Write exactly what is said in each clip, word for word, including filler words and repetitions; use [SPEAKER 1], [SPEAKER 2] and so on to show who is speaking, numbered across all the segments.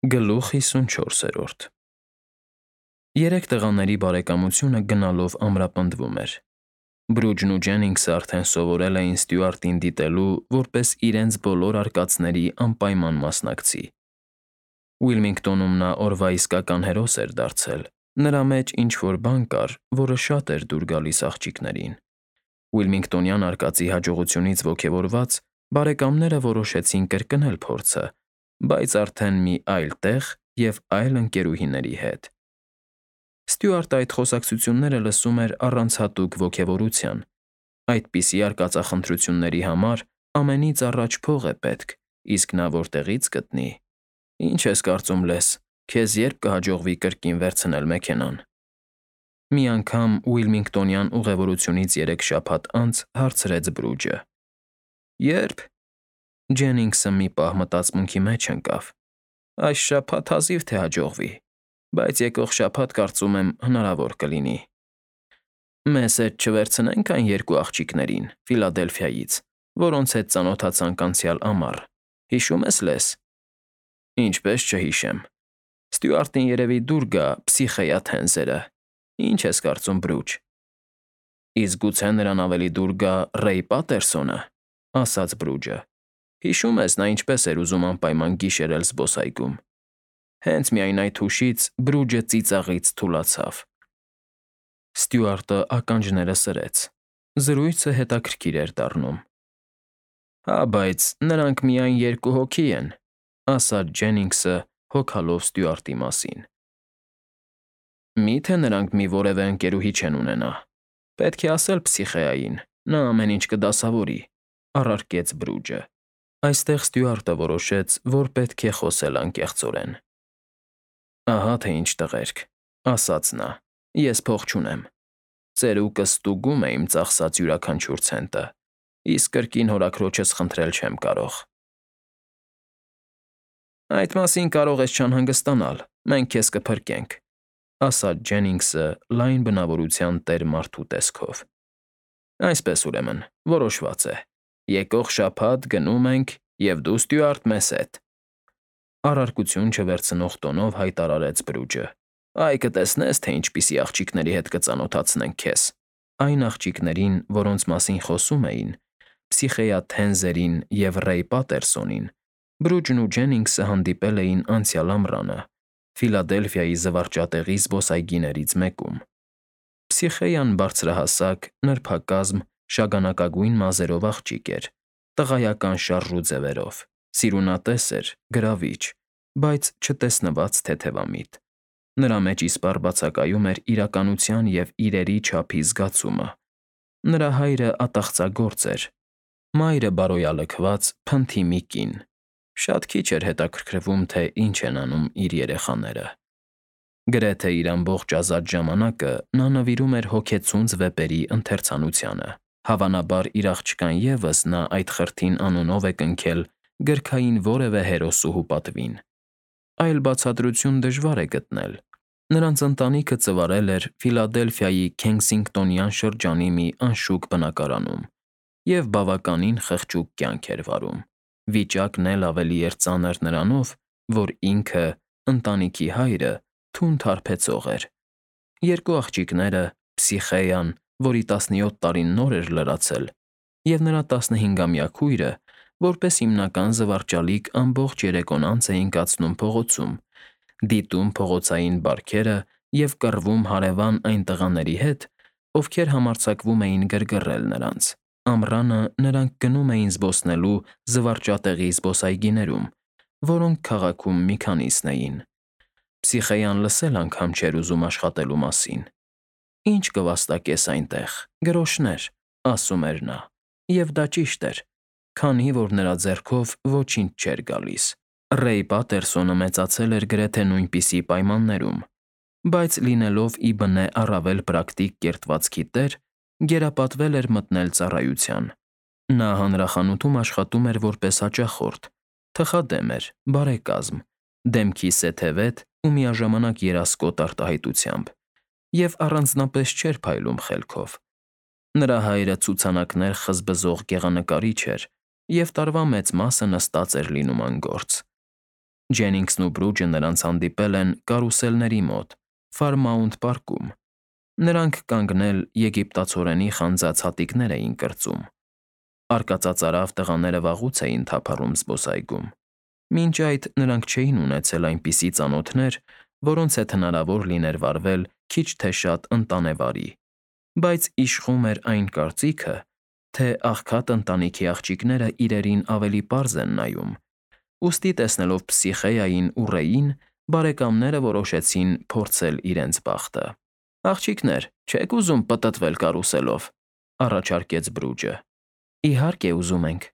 [SPEAKER 1] Գլուխ հիսունչորսերորդ Երեք տղաների բարեկամությունը գնալով ամրապնդվում էր։ Բրուջն ու Ջենինգսը արդեն սովորել էին Ստյուարտին դիտելու որպես իրենց բոլոր արկածների անպայման մասնակցի։ Ուիլմինգտոնում նա օրվա իսկական հերոս էր դարձել, նրա մեջ ինչ֊որ բան կար, որը շատ էր դուր գալիս աղջիկներին։ Ուիլմինգտոնյան արկածի հաջողությունից ոգևորված՝ բարեկամները որոշեցին կրկնել փորձը, բայց արդեն մի այլ տեղ և այլ ընկերուհիների հետ։ Ստյուարտը այդ խոսակցությունները լսում էր առանց հատուկ ոգևորության։ Այդպիսի արկածախնդրությունների համար ամենից առաջ փող է պետք, իսկ նա որտեղի՞ց գտնի։ Ինչ ես կարծում լես, քեզ ե՞րբ կհաջողվի կրկին վերցնել մեքենան։ Մի անգամ ուիլմինգտոնյան ուղևորությունից երեք շաբաթ անց հարցրեց Բրուջը։ Ե՞րբ։ Ջենինգսը մի պահ մտածմունքի մեջ ընկավ։ Այս շաբաթ հազիվ թե հաջողվի, բայց եկող շաբաթ, կարծում եմ, հնարավոր կլինի։ Մեզ հետ չվերցնե՞նք այն երկու աղջիկներին Ֆիլադելֆիայից, որոնց հետ ծանոթացանք անցյալ ամառ, հիշո՞ւմ ես լես։ Ինչպես չհիշեմ։ Ստյուարտին երևի դուր գա Փսիխեյաթենզերը։ Ինչ ես կարծում, Բրուջ։ Իսկ գուցե նրան ավելի դուր գա Ռեյ Պատերսոնը, ասաց Բրուջը։ Հիշում ես, նա ինչպես էր ուզում անպայման գիշերել զբոսայգում։ Հենց միայն այդ հուշից Բրուջը ծիծաղից թուլացավ։ Ստյուարտը ականջները սրեց։ Զրույցը հետաքրքիր էր դառնում։ Հա, բայց նրանք միայն երկու հոգի են, ասաց Ջենինգսը, հոգալով Ստյուարտի մասին։ Մի՞թե նրանք մի որևէ ընկերուհի չեն ունենա։ Պետք է ասել Փսիխեային, նա ամեն ինչ կդասավորի, առարկեց Բրուջը։ Այստեղ Ստյուարտը որոշեց, որ պետք է խոսել անկեղծորեն։ Ահա թե ինչ տղերք, ասաց նա, ես փող չունեմ։ Ծերուկս ստուգում է իմ ծախսած յուրաքանչյուր ցենտը, իսկ կրկին հորաքրոջս խնդրել չեմ կարող։ Այդ մասին կարող ես չանհանգստանալ, մենք քեզ կփրկենք, ասաց Ջենինգսը լայն բնավորության տեր մարդու տեսքով։ Այսպես ուրեմն, որոշված է։ Եկող շաբաթ գնում ենք, և դու, Ստյուարտ, մեզ հետ։ Առարկություն չվերցնող տոնով հայտարարեց Բրուջը։ Այ կտեսնես, թե ինչպիսի աղջիկների հետ կծանոթացնենք քեզ։ Այն աղջիկներին, որոնց մասին խոսում էին, Փսիխեյաթենզերին և Ռեյ Պատերսոնին, Բրուջն ու Ջենինգսը հանդիպել էին անցյալ ամռանը Ֆիլադելֆիայի զվարճատեղի զբոսայգիներից մեկում։ Փսիխեյան բարձրահասակ, նրբակազմ, շագանակագույն մազերով աղջիկ էր, տղայական շարժ ու ձևերով, սիրունատես էր, գրավիչ, բայց չտեսնված թեթևամիտ։ Նրա մեջ իսպառ բացակայում էր իրականության և իրերի չափի զգացումը։ Նրա հայրը ատաղծագործ էր, մայրը բարոյալքված, փնթի մի կին։ Շատ քիչ էր հետաքրքրվում, թե ինչ են անում իր երեխաները։ Գրեթե իր ամբողջ ազատ ժամանակը նա նվիրում էր հոգեցունց վեպերի ընթերցանությանը։ Հավանաբար իր աղջկան ևս նա այդ խրթին անունով է կնքել գրքային որևէ հերոսուհու պատվին։ Այլ բացատրություն դժվար է գտնել։ Նրանց ընտանիքը ծվարել էր Ֆիլադելֆիայի Քենսինգտոնյան շրջանի մի անշուք բնակարանում և բավականին խղճուկ կյանք էր վարում։ Վիճակն էլ ավելի էր ծանր նրանով, որ ինքը՝ ընտանիքի հայրը, թունդ հարբեցող էր։ Երկու աղջիկները՝ Փսիխեյան, որի տասնյոթ տարին նոր էր լրացել, և նրա տասնհինգամյա քույրը, որպես հիմնական զվարճալիք ամբողջ երեկոն անց էին կացնում փողոցում, դիտում փողոցային բարքերը և կռվում հարևան այն տղաների հետ, ովքեր համարձակվում էին գրգռել նրանց։ Ամռանը նրանք գնում էին զբոսնելու զվարճատեղի զբոսայգիներում, որոնք քաղաքում մի քանիսն էին։ Փսիխեյան լսել անգամ չէր ուզում աշխատելու մասին։ Ինչ կվաստակես այնտեղ, գրոշներ, ասում էր նա, և դա ճիշտ էր, քանի որ նրա ձեռքով ոչինչ չէր գալիս։ Ռեյ Պատերսոնը մեծացել էր գրեթե նույնպիսի պայմաններում, բայց լինելով ի բնե առավել պրակտիկ կերտվածքի տեր, գերապատվել էր մտնել ծառայության։ Նա հանրախանութում աշխատում էր որպես հաճախորդ, թխադեմ էր, բարեկազմ, դեմքի սեթևետ ու միաժամանակ երասկոտ արտահայտությամբ, և առանձնապես չէր փայլում խելքով։ Նրա հայրը ցուցանակներ խզբզող գեղանկարիչ էր, և տարվա մեծ մասը նստած էր լինում անգործ։ Ջենինգսն ու Բրուջը նրանց հանդիպել են կարուսելների մոտ, Ֆարմաունթ պարկում։ Նրանք կանգնել եգիպտացորենի խանձած հատիկներ էին կրծում։ Արկածածարավ տղաները վաղուց էին թափառում զբոսայգում։ Մինչ այդ նրանք չէին ունեցել այնպիսի ծանոթներ, որոնց հետ հնարավոր լիներ վարվել քիչ թե շատ ընտանեվարի, բայց իշխում էր այն կարծիքը, թե աղքատ ընտանիքի աղջիկները իրերին ավելի պարզ են նայում, ուստի տեսնելով Պսիխեային ու Ռեյին, բարեկամները որոշեցին փորձել իրենց բախտը։ «Աղջիկներ, չե՞ք ուզում պտտվել կարուսելով», ֊ առաջարկեց Բրուջը։ «Իհարկե, ուզում ենք», ֊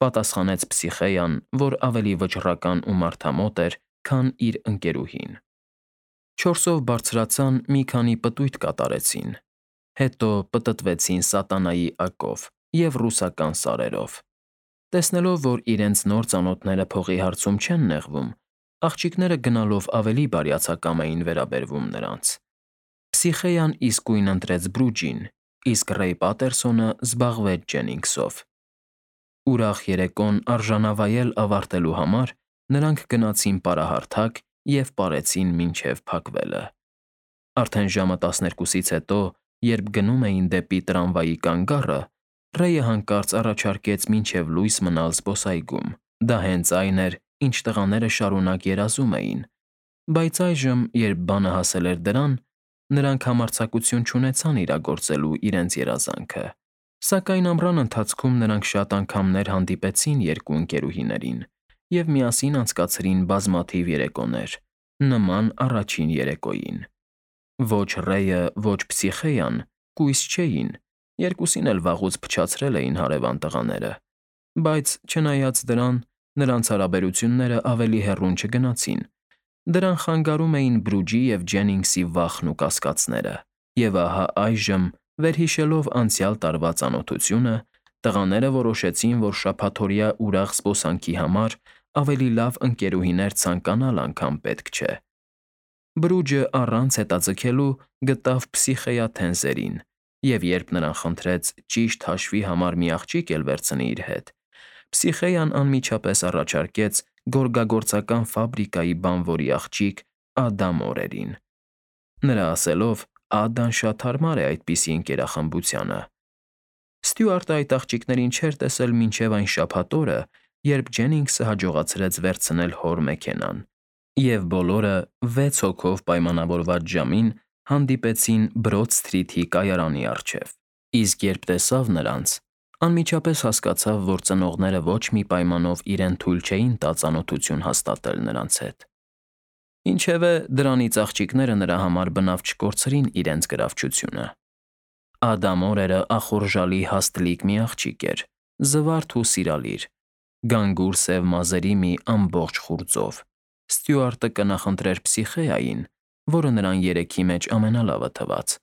[SPEAKER 1] պատասխանեց Պսիխեան, որ ավելի վճռական ու մարդամոտ էր, քան իր ընկերուհին։ Չորսով բարձրացան, մի քանի պտույտ կատարեցին, հետո պտտվեցին սատանայի ակով և ռուսական սարերով։ Տեսնելով, որ իրենց նոր ծանոթները փողի հարցում չեն նեղվում, աղջիկները գնալով ավելի բարյացակամ էին վերաբերվում նրանց։ Պսիխեան իսկույն ընտրեց Բրուջին, իսկ Ռեյ Պատերսոնը զբաղվեց Ջենինգսով։ Ուրախ երեկոն արժանավայել ավարտելու համար նրանք գնացին պարահարթակ և պարեցին մինչև փակվելը։ Արդեն ժամը տասներկուսից հետո, երբ գնում էին դեպի տրամվայի կանգառը, Ռեյը հանկարծ առաջարկեց մինչև լույս մնալ զբոսայգում։ Դա հենց այն էր, ինչ տղաները շարունակ երազում էին, բայց այժմ, երբ բանը հասել էր դրան, նրանք համարձակություն չունեցան իրագործելու իրենց երազանքը։ Սակայն ամռան ընթացքում նրանք շատ անգամներ հանդիպեցին երկու ընկերուհիներին և միասին անցկացրին բազմաթիվ երեկոներ, նման առաջին երեկոյին։ Ոչ Ռեյը, ոչ Պսիխեան կույս չէին, երկուսին էլ վաղուց փչացրել էին հարևան տղաները, բայց, չնայած դրան, նրանց հարաբերությունները ավելի հեռուն չգնացին։ Դրան խանգարում էին Բրուջի և Ջենինգսի վախն ու կասկածները։ Եվ ահա այժմ, վերհիշելով անցյալ տարվա ծանոթությունը, տղաները որոշեցին, որ շաբաթօրյա ուրախ զբոսանքի համար ավելի լավ ընկերուհիներ ցանկանալ անգամ պետք չէ։ Բրուջը առանց հետաձգելու գտավ Պսիխեա թենզերին, և երբ նրան խնդրեց ճիշտ հաշվի համար մի աղջիկ էլ վերցնի իր հետ, Պսիխեան անմիջապես առաջարկեց գորգագործական ֆաբրիկայի բանվորի աղջիկ Ադա Մորերին։ Նրա ասելով, Ադան շատ հարմար է այդպիսի ընկերախմբությանը։ Ստյուարտը այդ աղջիկներին չէր տեսել մինչև այն շաբաթ օրը, երբ Ջենինգսը հաջողացրեց վերցնել հոր մեքենան, և բոլորը վեց հոգով պայմանավորված ժամին հանդիպեցին Բրոդ Սթրիթի կայարանի առջև։ Իսկ երբ տեսավ նրանց, անմիջապես հասկացավ, որ ծնողները ոչ մի պայմանով իրեն թույլ չէին տա ծանոթություն հաստատել նրանց հետ։ Ինչևէ, դրանից աղջիկները նրա համար բնավ չկորցրին իրենց գրավչությունը։ Ադա Մորերը ախորժալի հաստլիկ մի աղջիկ էր, զվարթ ու սիրալիր, գանգուր սև մազերի մի ամբողջ խուրձով։ Ստյուարտը կնախընտրեր Պսիխեային, որը նրան երեքի մեջ ամենալավը թվաց,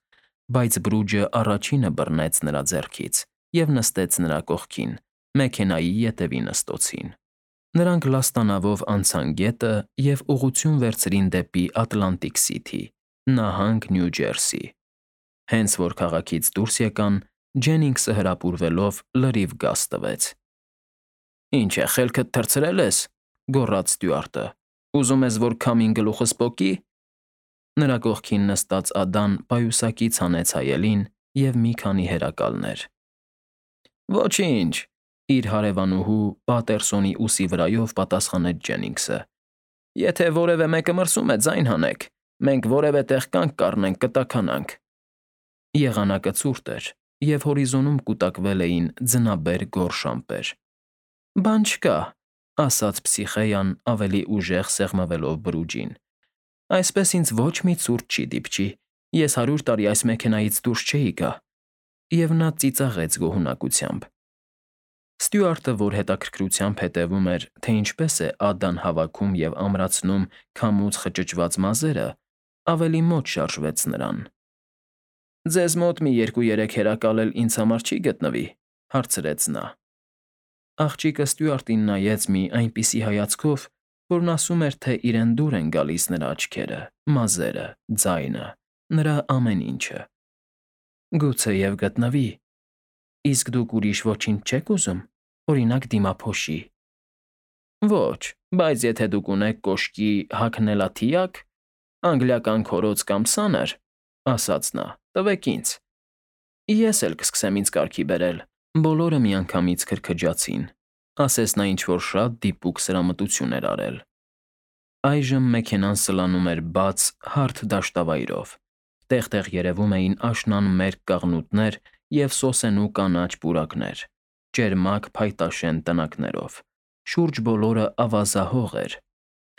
[SPEAKER 1] բայց Բրուջը առաջինը բռնեց նրա ձեռքից և նստեց նրա կողքին, մեքենայի ետևի նստոցին։ Նրանք լաստանավով անցան գետը և ուղղություն վերցրին դեպի Ատլանտիկ Սիթի, նահանգ Նյու Ջերսի։ Հենց որ քաղաքից դուրս եկան, Ջենինգսը հրապուրվելով լրիվ գազ տվեց։ «Ինչ է, խելքդ թռցրել ես», ֊ գոռաց ստյուարտը։ «Ուզում ես, որ քամին գլուխս պոկի»։ Նրա կողքին նստած Ադան պայուսակից հանեց հայելին և մի քանի հերակալներ։ «Ոչինչ», ֊ իր հարևանուհու Պատերսոնի ուսի վրայով պատասխանեց Ջենինգսը։ «Եթե որևէ մեկը մրսում է, ձայն հանեք, մենք որևէ տեղ կանգ կառնենք, կտաքանանք»։ Եղանակը ցուրտ էր, և հորիզոնում կուտակվել էին ձնաբեր գորշ ամպեր։ «Բան չկա», ֊ ասաց Պսիխեան ավելի ուժեղ սեղմվելով Բրուջին։ «Այսպես ինձ ոչ մի ցուրտ չի դիպչի, ես հարյուր տարի այս մեքենայից դուրս չէի գա»։ Եվ նա ծիծաղեց գոհունակությամբ։ Ստյուարտը, որ հետաքրքրությամբ հետևում էր, թե ինչպես է Ադան հավաքում և ամրացնում քամուց խճճված մազերը, ավելի մոտ շարժվեց նրան։ «Ձեզ մոտ մի երկու֊երեք հերակալ էլ ինձ համար չի գտնվի», ֊ հարցրեց նա։ Աղջիկը ստյուարտին նայեց մի այնպիսի հայացքով, որն ասում էր, թե իրեն դուր են գալիս նրա աչքերը, մազերը, ձայնը, նրա ամեն ինչը։ «Գուցեև գտնվի։ Իսկ դուք ուրիշ ոչինչ չեք ուզում, օրինակ՝ դիմափոշի»։ Ոչ, բայց եթե դուք ունեք կոշկի հագնելաթիակ, անգլիական քորոց կամ սանր, ասաց նա, տվեք ինձ, ես էլ կսկսեմ ինձ կարգի բերել։ Բոլորը միանգամից քրքջացին, ասես նա ինչ֊որ շատ դիպուկ սրամտություն էր արել։ Այժմ մեքենան սլանում էր բաց, հարթ դաշտավայրով, տեղ֊տեղ երևում էին աշնանմերկ կաղնուտներ և սոսենու կանաչ պուրակներ, ճերմակ փայտաշեն տնակներով, շուրջ բոլորը ավազահող էր։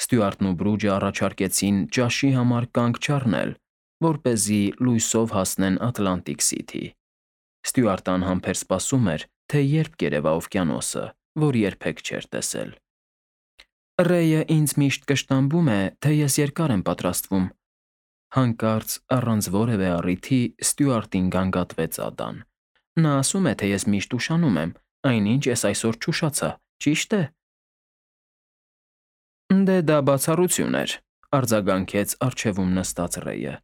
[SPEAKER 1] Ստյուարտն ու Բրուջը առաջարկեցին ճաշի համար կանգ չառնել, որպեսզի լույսով հասնեն Ատլանտիկ Սիթի։ Ստյուարտը անհամբեր սպասում էր, թե երբ կերևա օվկիանոսը, որ երբեք չէր տեսել։ Ռեյը ինձ միշտ կշտամբում է, թե ես երկար եմ պատրաստվում։ Հանկարծ, առանց որևէ առիթի, Ստյուարտին գանգատվեց Ադան։ Նա ասում է, թե ես միշտ ուշանում եմ, այնինչ ես այսօր չուշացա, ճի՞շտ է։ Դե դա բացառություն էր, արձագանքեց առջևում նստած Ռեյը։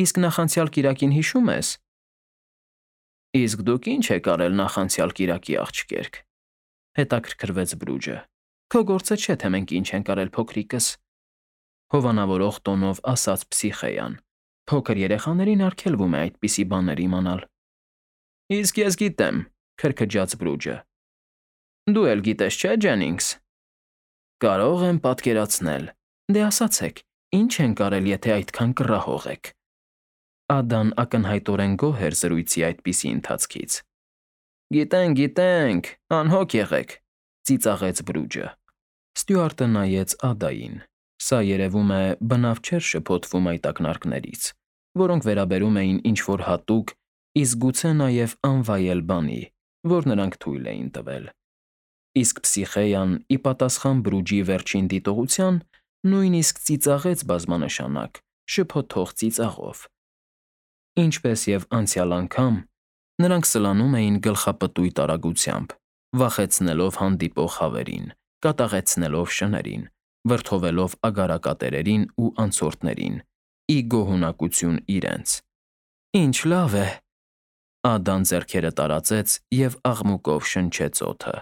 [SPEAKER 1] Իսկ նախանցյալ կիրակին հիշո՞ւմ ես։ Իսկ դուք ի՞նչ եք արել նախանցյալ կիրակի, աղջկերք, հետաքրքրվեց Բրուջը։ Քո գործը չէ, թե մենք ինչ ենք արել, փոքրիկս, հովանավորող տոնով ասաց Փսիխեան։ Փոքր երեխաներին արգելվում է այդպիսի բաներ իմանալ։ Իսկ ես գիտեմ, քրքջաց Բրուջը։ Դու էլ գիտես, չէ՞, Ջենինգս։ Կարող եմ պատկերացնել։ Դե ասացեք, ի՞նչ ենք արել, եթե այդքան կռահող եք։ Ադան ակնհայտորեն գոհ էր զրույցի այդպիսի ընթացքից։ Գիտենք, գիտենք, անհոգ եղեք, ծիծաղեց Բրուջը։ Ստյուարտը նայեց Ադային։ Սա երևում է բնավ չէր շփոթվում այդ ակնարկներից, որոնք վերաբերում էին ինչ֊որ հատուկ, իսկ գուցե նաև անվայել բանի, որ նրանք թույլ էին տվել։ Իսկ Փսիխեան, ի պատասխան Բրուջի վերջին դիտողության, նույնիսկ ծիծաղեց բազմանշանակ, շփոթող ծիծաղով։ Ինչպես և անցյալ անգամ, նրանք սլանում էին գլխապտույտ արագությամբ, վախեցնելով հանդիպող հավերին, կատաղեցնելով շներին, վրդովվելով ագարակատերերին ու անցորդներին, ի գոհունակություն իրենց։ Ինչ լավ է։ Ադան ձեռքերը տարածեց և աղմուկով շնչեց օդը։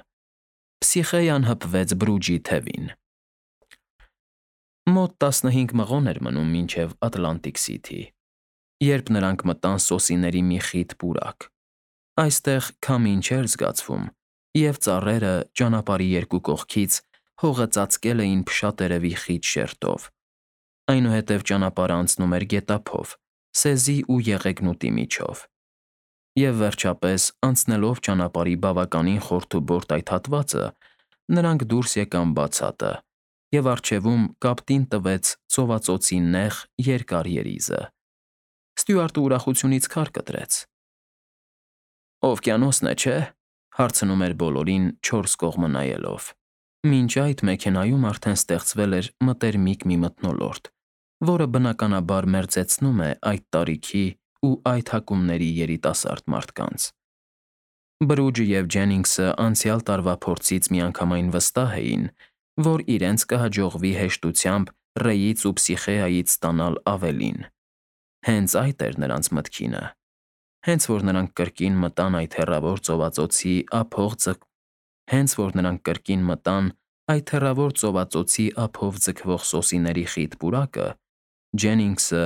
[SPEAKER 1] Փսիխեան հպվեց Բրուջի թևին։ Մոտ տասնհինգ մղոն էր մնում մինչև Ատլանտիկ Սիթի, երբ նրանք մտան սոսիների մի խիտ պուրակ։ Այստեղ քամին չէր զգացվում, և ծառերը ճանապարհի երկու կողքից հողը ծածկել էին փշատերևի խիտ շերտով։ Այնուհետև ճանապարհը անցնում էր գետափով, սեզի ու եղեգնուտի միջով։ Եվ վերջապես, անցնելով ճանապարհի բավականին խորթուբորտ այդ հատվածը, նրանք դուրս եկան բացատը, և առջևում կապտին տվեց ծովածոցի նեղ, երկար երիզը։ Ստյուարտը ուրախությունից քար կտրեց։ Օվկիանոսն է, չէ՞, հարցնում էր բոլորին չորս կողմը նայելով։ Մինչ այդ մեքենայում արդեն ստեղծվել էր մտերմիկ մի մթնոլորտ, որը բնականաբար մերձեցնում է այդ տարիքի ու այդ հակումների երիտասարդ մարդկանց։ Բրուջը և Ջենինգսը անցյալ տարվա փորձից միանգամայն վստահ էին, որ իրենց կհաջողվի հեշտությամբ Ռեյից ու Փսիխեայից ստանալ ավելին։ Հենց այդ էր նրանց մտքինը։ Հենց որ նրանք կրկին մտան այդ հեռավոր ծովածոցի ափող ձգ Հենց որ նրանք կրկին մտան այդ հեռավոր ծովածոցի ափով ձգվող սոսիների խիտ պուրակը, Ջենինգսը,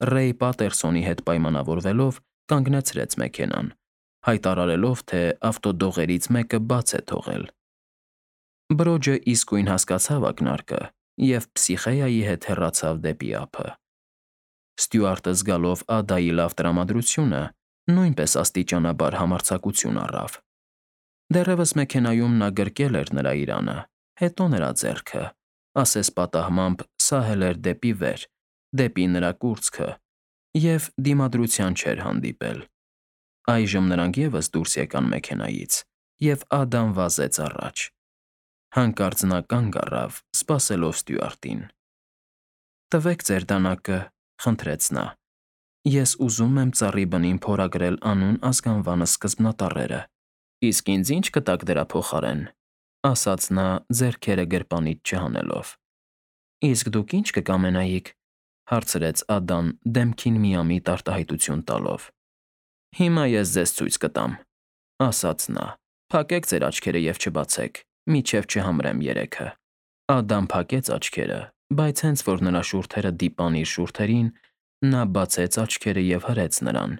[SPEAKER 1] Ռեյ Պատերսոնի հետ պայմանավորվելով, կանգնեցրեց մեքենան, հայտարարելով, թե ավտոդողերից մեկը բաց է թողել։ Բրոջը իսկույն հասկացավ ակնարկը և Փսիխեայի հետ հեռացավ դեպի ափը։ Ստյուարտը, զգալով Ադայի լավ տրամադրությունը, նույնպես աստիճանաբար համարձակություն առավ։ Դեռևս մեքենայում նա գրկել էր նրա իրանը, հետո նրա ձեռքը, ասես պատահմամբ սահել էր դեպի վեր, դեպի նրա կուրծքը, և դիմադրության չէր հանդիպել։ Այժմ նրանք ևս դուրս եկան մեքենայից, և Ադան վազեց առաջ։ Հանկարծ նա կանգ առավ, սպասելով Ստյուարտին։ Տվեք ձեր դանակը, խնդրեց նա։ Ես ուզում եմ ծառի բնին փորագրել անուն ազգանվանս սկզբնատառերը։ Իսկ ինձ ի՞նչ կտաք դրա փոխարեն, ասաց նա ձեռքերը գրպանից չհանելով։ Իսկ դուք ի՞նչ կկամենայիք, հարցրեց Ադան դեմքին միամիտ արտահայտություն տալով։ Հիմա ես ձեզ ցույց կտամ, ասաց նա։ Փակեք ձեր աչքերը և չբացեք, մինչև չհամրեմ երեքը։ Ադամ փակեց աչքերը, բայց հենց որ նրա շուրթերը դիպան իր շուրթերին, նա բացեց աչքերը և հրեց նրան։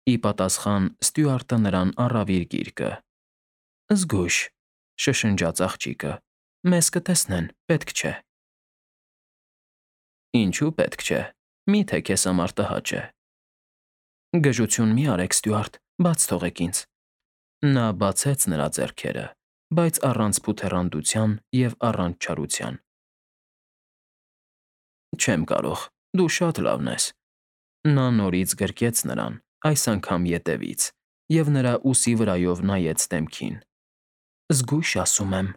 [SPEAKER 1] Ի պատասխան Ստյուարտը նրան առավ իր գիրկը։ «Զգույշ», շշնջաց աղջիկը, «մեզ կտեսնեն, պետք չէ»։ Ինչու պետք չէ, միթե քեզ համար տհաճ է։ Գժություն մի արեք, Ստյուարտ, բաց թողեք ինձ։ Նա բացեց նրա ձեռքերը, բայց առանց փութեռանդության և առանց չարության։ Չեմ կարող, դու շատ լավն ես։ Նա նորից գրկեց նրան, այս անգամ ետևից, և նրա ուսի վրայով նայեց դեմքին։ «Զգույշ, ասում եմ»,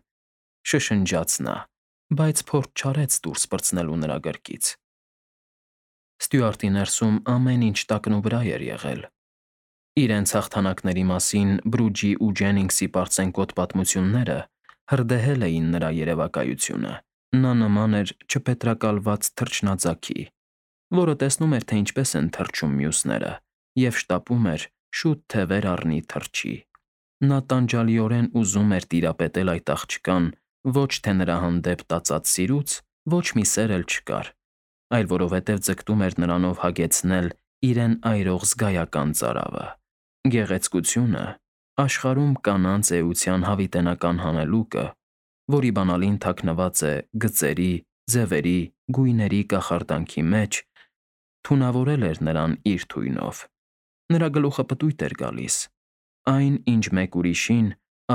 [SPEAKER 1] շշնջաց նա, բայց փորձ չարեց դուրս պրծնելու նրա գրկից։ Ստյուարտի ներսում ամեն ինչ տակնուվրա էր եղել։ Իրենց հաղթանակների մասին Բրուջի ու Ջենինգսի պարծենկոտ պատմությունները հրդեհել էին նրա երևակայությունը։ Նա նման էր չպետրակալված թռչնաձագի, որը տեսնում էր, թե ինչպես են թռչում մյուսները, և շտապում էր շուտ թե վեր առնի թռչի։ Նա տանջալիորեն ուզում էր տիրապետել այդ աղջկան ոչ թե նրա հանդեպ տածած սիրուց, ոչ մի սեր էլ չկար, այլ որովհետև ձգտում էր նրանով հագեցնել իրեն այրող զգայական ծարավը։ Գեղեցկությունը, աշխարհում կանանց էության հավիտենական հանելուկը, որի բանալին թաքնված է գծերի, ձևերի, գույների կախարդանքի մեջ, թունավորել էր նրան իր թույնով։ Նրա գլուխը պտույտ էր գալիս։ Այն, ինչ մեկ ուրիշին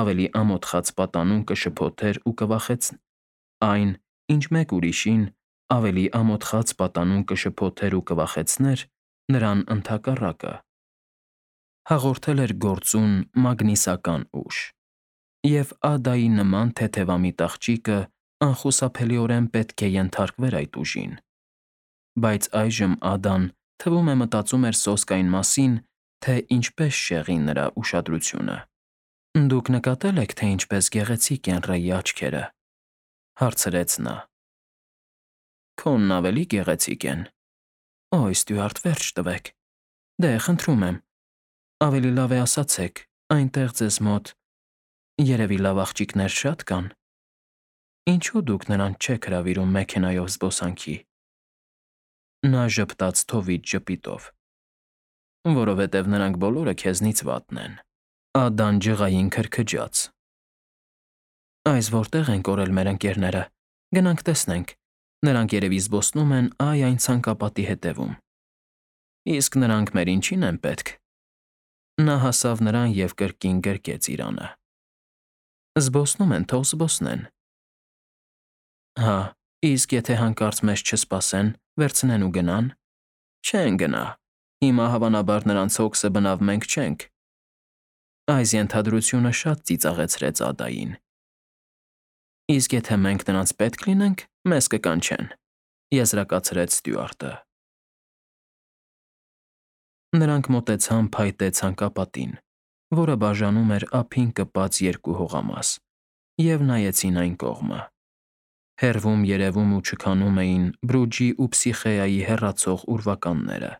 [SPEAKER 1] ավելի ամոթխած պատանուն կշփոթեր ու կվախեցներ, այն, ինչ մեկ ուրիշին ավելի ամոթխած պատանուն կշփոթեր ու կվախեցներ, նրան ընդհակառակը հաղորդել էր գործուն մագնիսական ուժ։ Եվ Ադայի նման թեթևամիտ աղջիկը անխուսափելիորեն պետք է ենթարկվեր այդ ուժին։ Բայց այժմ Ադան, թվում է, մտածում էր սոսկ այն մասին, թե ինչպես շեղի նրա ուշադրությունը։ «Դուք նկատել եք, թե ինչպես գեղեցիկ են Ռեյի աչքերը», հարցրեց նա։ «Քոնն ավելի գեղեցիկ են»։ «Օյ, Ստյուարտ, վերջ տվեք։ Դե, խնդրում եմ, ավելի լավ է ասացեք, այնտեղ ձեզ մոտ երևի լավ աղջիկներ շատ կան։ Ինչո՞ւ դուք նրանց չեք հրավիրում մեքենայով զբոսանքի»։ Նա ժպտաց թովիչ ժպիտով։ «Որովհետև նրանք բոլորը քեզնից վատն են»։ Ադան ջղային քրքջաց։ «Այս որտե՞ղ են կորել մեր ընկերները, գնանք տեսնենք, նրանք երևի զբոսնում են այ֊այն ցանկապատի հետևում»։ «Իսկ նրանք մեր ինչին են պետք»։ Նա հասավ նրան և կրկին գրկեց իրանը։ «Զբոսնում են, թող զբոսնեն»։ Հա, իսկ եթե հանկարծ մեզ չսպասեն, վերցնեն ու գնա՞ն։ Չեն գնա։ Հիմա հավանաբար նրանց հոգսը բնավ մենք չենք։ Այս ենթադրությունը շատ ծիծաղեցրեց Ադային։ Իսկ եթե մենք նրանց պետք լինենք, մեզ կկանչեն, եզրակացրեց Ստյուարտը։ Նրանք մոտեցան փայտե ցանկապատին, որը բաժանում էր ափին կպած երկու հողամաս, և նայեցին այն կողմը։ Հեռվում երևում ու չքանում էին Բրուջի ու Փսիխեայի հեռացող ուրվականները։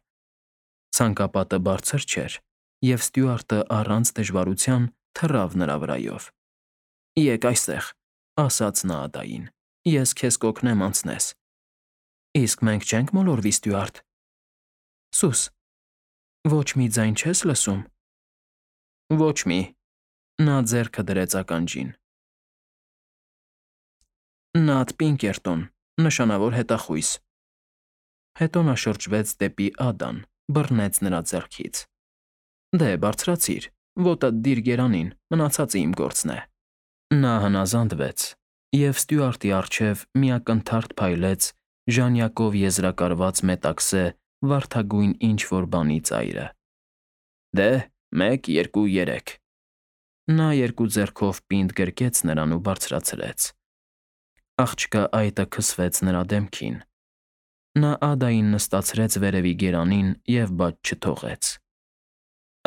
[SPEAKER 1] Ցանկապատը բարձր չէր, և Ստյուարտը առանց դժվարության թռավ նրա վրայով։ «Եկ այստեղ», ասաց նա Ադային, «ես քեզ կօգնեմ անցնես»։ «Իսկ մենք չենք մոլորվի, Ստյուարտ»։ Սուս, ոչ մի ձայն չես լսում։ Ոչ մի։ Նա ձեռքը դրեց ականջին։ Նատ Պինկերտոն, նշանավոր հետախույզ։ Հետո նա շրջվեց դեպի Ադան, բռնեց նրա ձեռքից։ Դե, բարձրացիր, ոտդ դիր գերանին, մնացածը իմ գործն է։ Նա հնազանդվեց, և Ստյուարտի առջև մի ակնթարթ փայլեց ժանյակով եզրակարված մետաքսե վարդագույն ինչ֊որ բանի ծայրը։ Դե, մեկ, երկու, երեք։ Նա երկու ձեռքով պինդ գրկեց նրան ու բարձրացրեց։ Աղջկա այտը քսվեց նրա դեմքին։ Նա Ադային նստացրեց վերևի գերանին և բաց չթողեց։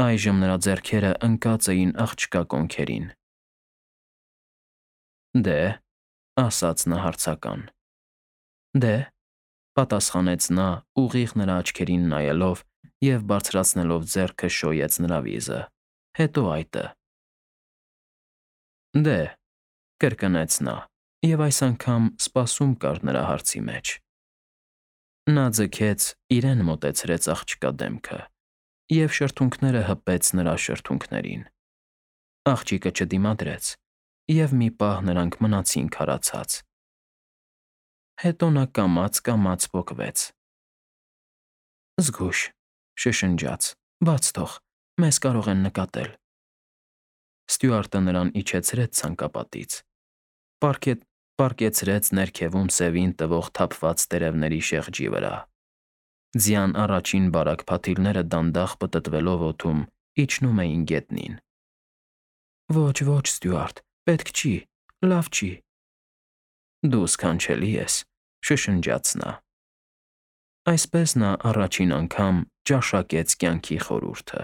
[SPEAKER 1] Այժմ նրա ձեռքերը ընկած էին աղջկա կոնքերին։ Դե, ասաց նա հարցական։ Դե, պատասխանեց նա, ուղիղ նրա աչքերին նայելով և բարձրացնելով ձեռքը շոյեց նրա վիզը, հետո այտը։ Դե, կրկնեց նա, Եվ այս անգամ սպասում կար նրա հարցի մեջ։ Նա ձգեց, իրեն մոտեցրեց աղջկա դեմքը և շրթունքները հպեց նրա շրթունքներին։ Աղջիկը չդիմադրեց, և մի պահ նրանք մնացին քարացած։ Հետո նա կամաց֊կամաց պոկվեց։ «Զգույշ», շշնջաց, «բաց թող, մեզ կարող են նկատել»։ Ստյուարտը նրան իջեցրեց ցանկապատից, պառկեցրեց ներքևում սևին տվող թափված տերևների շեղջի վրա։ Ձյան առաջին բարակ փաթիլները դանդաղ պտտվելով օդում իջնում էին գետնին։ «Ոչ, ոչ, Ստյուարտ, պետք չի, լավ չի»։ «Դու սքանչելի ես», շշնջաց նա։ Այսպես նա առաջին անգամ ճաշակեց կյանքի խորհուրդը։